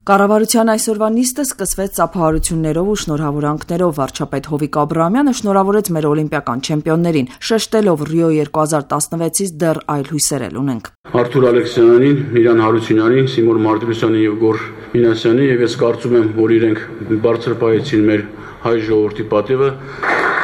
Կառավարության այսօրվա նիստը սկսվեց ծափահարություններով ու շնորհավորանքներով։ Վարչապետ Հովիկ Աբրահամյանը շնորհավորեց մեր օլիմպիական չեմպիոններին, շեշտելով Ռիո 2016-ից դեռ այլ հույսեր էլ ունենք։ Արթուր Ալեքսյանյանին, Միրան Հարությունյանին, Սիմոն Մարտիրոսյանին եւ Գոր Մինասյանին, եւ ես կարծում եմ, որ իրենք բարձր պահեցին մեր հայ ժողովրդի պատիվը։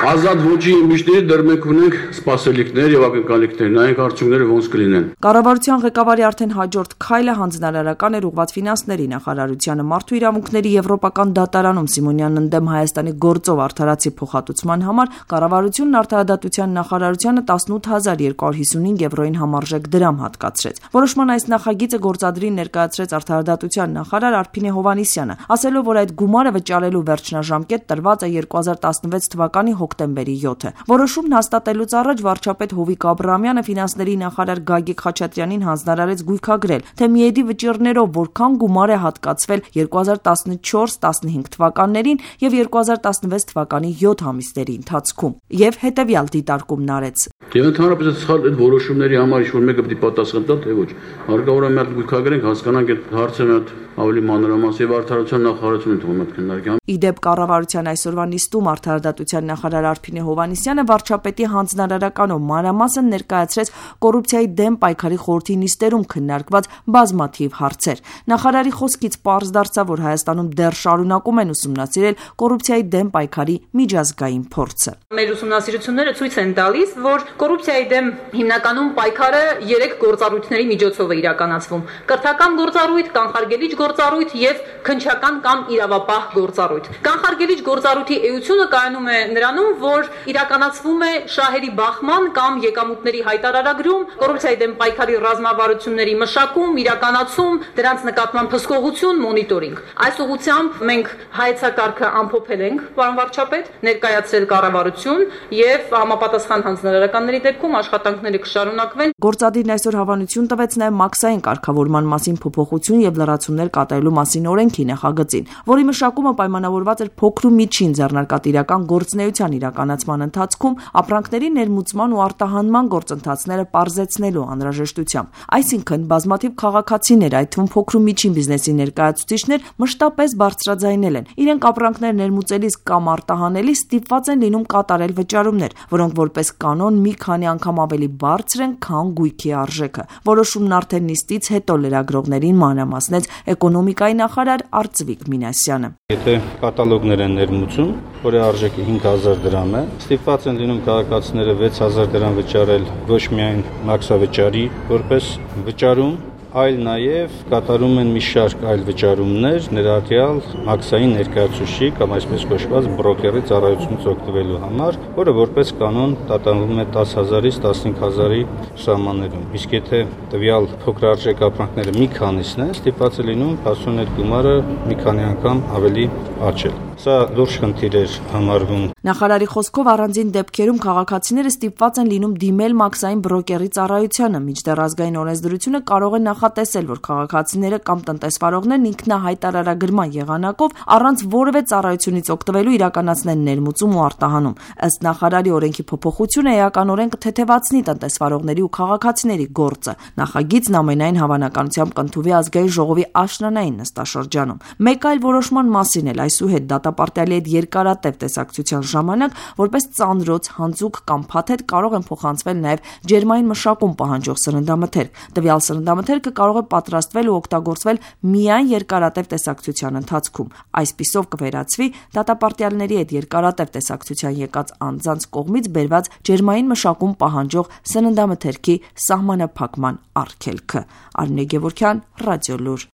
Ազատ ոճի իմիջների դեռ մենք ունենք սպասելիքներ եւ ակնկալիքներ, նայենք արդյունքները ոնց կլինեն։ Կառավարության ղեկավարի արդեն հաջորդ քայլը հանձնարարական էր ուղղված ֆինանսների նախարարությանը մարդու իրավունքների եվրոպական դատարանում Սիմոնյանն ընդդեմ Հայաստանի գործով արդարացի փոխհատուցման համար կառավարությունն արդարադատության նախարարությանը 18255 եվրոյին համարժեք դրամ հատկացրեց։ Որոշման այս նախագիծը գործադրին ներկայացրեց արդարադատության նախարար Արփինե Հովհաննիսյանը, ասելով, որ այդ գումարը վճարելու վերջնաժամկետ տրված է 2016 թվականի հոկտեմբերի 7-ը։ Որոշումն հաստատելուց առաջ վարչապետ Հովիկ Աբրահամյանը ֆինանսների նախարար Գագիկ Խաչատրյանին հանձնարարեց գույքագրել, թե միեդի վճիռներով որքան գումար է հատկացվել 2014-15 թվականներին եւ 2016 թվականի 7 ամիսների ընթացքում եւ հետեւյալ դիտարկումն արեց։ Եվ ընդհանրապես սխալ այդ որոշումների համար ինչ-որ մեկը պետք է պատասխան տա, թե ոչ։ Հարկավոր է մի հատ գույքագրենք, հասկանանք այդ հարցը մի հատ ավելի մանրամաս եւ արդարության նախարարությունը թվում է քննարկել։ Իդեպ կառավարության այսօրվա նիստում արդարադատության նախարար Արփինե Հովհաննիսյանը վարչապետի հանձնարարականով մանրամասն ներկայացրեց կոռուպցիայի դեմ պայքարի խորհրդի նիստերում քննարկված բազմաթիվ հարցեր։ Նախարարի խոսքից պարզ դարձավ, որ Հայաստանում դեռ շարունակում են ուսումնասիրել կոռուպցիայի դեմ պայքարի միջազգային փորձը։ Մեր ուսումնասիրությունները ցույց են տալիս, որ կոռուպցիայի դեմ հիմնականում պայքարը 3 գործառույթների միջոցով է իրականացվում՝ կրթական գործառույթ, կանխարգելիչ գործառույթ եւ քննչական կամ իրավապահ գործառույթ։ Կանխարգելիչ գործառույթի էությունը կայանում է նրանում, որ իրականացվում է շահերի բախման կամ եկամուտների հայտարարագրում, կոռուպցիայի դեմ պայքարի ռազմավարությունների մշակում, իրականացում, դրանց նկատմամբ հսկողություն, մոնիտորինգ։ Այս ուղղությամբ մենք հայեցակարգը ամփոփել ենք, պարոն վարչապետ, ներկայացրել կառավարություն եւ համապատասխան հանձնարարականների դեպքում աշխատանքները կշարունակվեն։ Գործադիրն այսօր հավանություն տվեց նաեւ մաքսային կարգավորման մասին փոփոխություն եւ լրացումներ կատարելու մասին օրենքի նախագծին, որի մշակումը պայմանավորված էր փոքր ու միջին ձեռնարկատիրական գործունեության իրականացման ընթացքում ապրանքների ներմուծման ու արտահանման գործընթացները պարզեցնելու անհրաժեշտությամբ։ Այսինքն բազմաթիվ քաղաքացիներ, այդ թվում փոքր ու միջին բիզնեսի ներկայացուցիչներ մշտապես բարձրաձայնել են։ Իրենք ապրանքներ ներմուծելիս կամ արտահանելիս ստիպված են լինում կատարել վճարումներ, որոնք որպես կանոն մի քանի անգամ ավելի բարձր են, քան գույքի արժեքը։ Որոշումն արդեն նիստից հետո լրագրողներին մանրամասնեց էկոնոմիկայի նախարար Արծվիկ Մինասյանը։ Եթե կատալոգներ են ներմուծում, որի արժեքը 5000 դրամ է, ստիպված են լինում քաղաքացիները 6000 դրամ վճարել ոչ միայն մաքսավճարի որպես վճարում, այլ նաև կատարում են մի շարք այլ վճարումներ, ներառյալ մաքսային ներկայացուցիչի կամ այսպես կոչված բրոկերի ծառայությունից օգտվելու համար, որը որպես կանոն տատանվում է 10000-ից 15000-ի սահմաններում։ Իսկ եթե տվյալ փոքրարժեք ապրանքները մի քանիսն են, ստիպված է լինում փաստորեն այդ գումարը մի քանի անգամ ավելի աճել։ Սա լուրջ խնդիր էր համարվում։ Նախարարի խոսքով առանձին դեպքերում քաղաքացիները ստիպված են լինում դիմել մաքսային բրոկերի ծառայությանը, մինչդեռ ազգային օրենսդրությունը կարող է նախատեսել, որ քաղաքացիները կամ տնտեսվարողներն ինքնահայտարարագրման եղանակով առանց որևէ ծառայությունից օգտվելու իրականացնեն ներմուծում ու արտահանում։ Ըստ նախարարի օրենքի փոփոխությունը էականորեն կթեթևացնի տնտեսվարողների ու քաղաքացիների գործը։ Նախագիծն ամենայն հավանականությամբ կընդունվի ազգային ժողովի աշնանային նստաշրջանում։ Մեկ այլ որոշման մասին էլ այսուհետ դատապարտյալի հետ երկարատև տեսակցության ժամանակ որպես ծանրոց, հանձուկ կամ փաթեթ կարող են փոխանցվել նաև ջերմային մշակում պահանջող սննդամթերք։ Տվյալ սննդամթերքը կարող է պատրաստվել ու օգտագործվել միայն երկարատև տեսակցության ընթացքում։ Այսպիսով կվերացվի դատապարտյալների հետ երկարատև տեսակցության եկած անձանց կողմից բերված ջերմային մշակում պահանջող սննդամթերքի սահմանափակման արգելքը։ Արմինե Գևորգյան, Ռադիոլուր։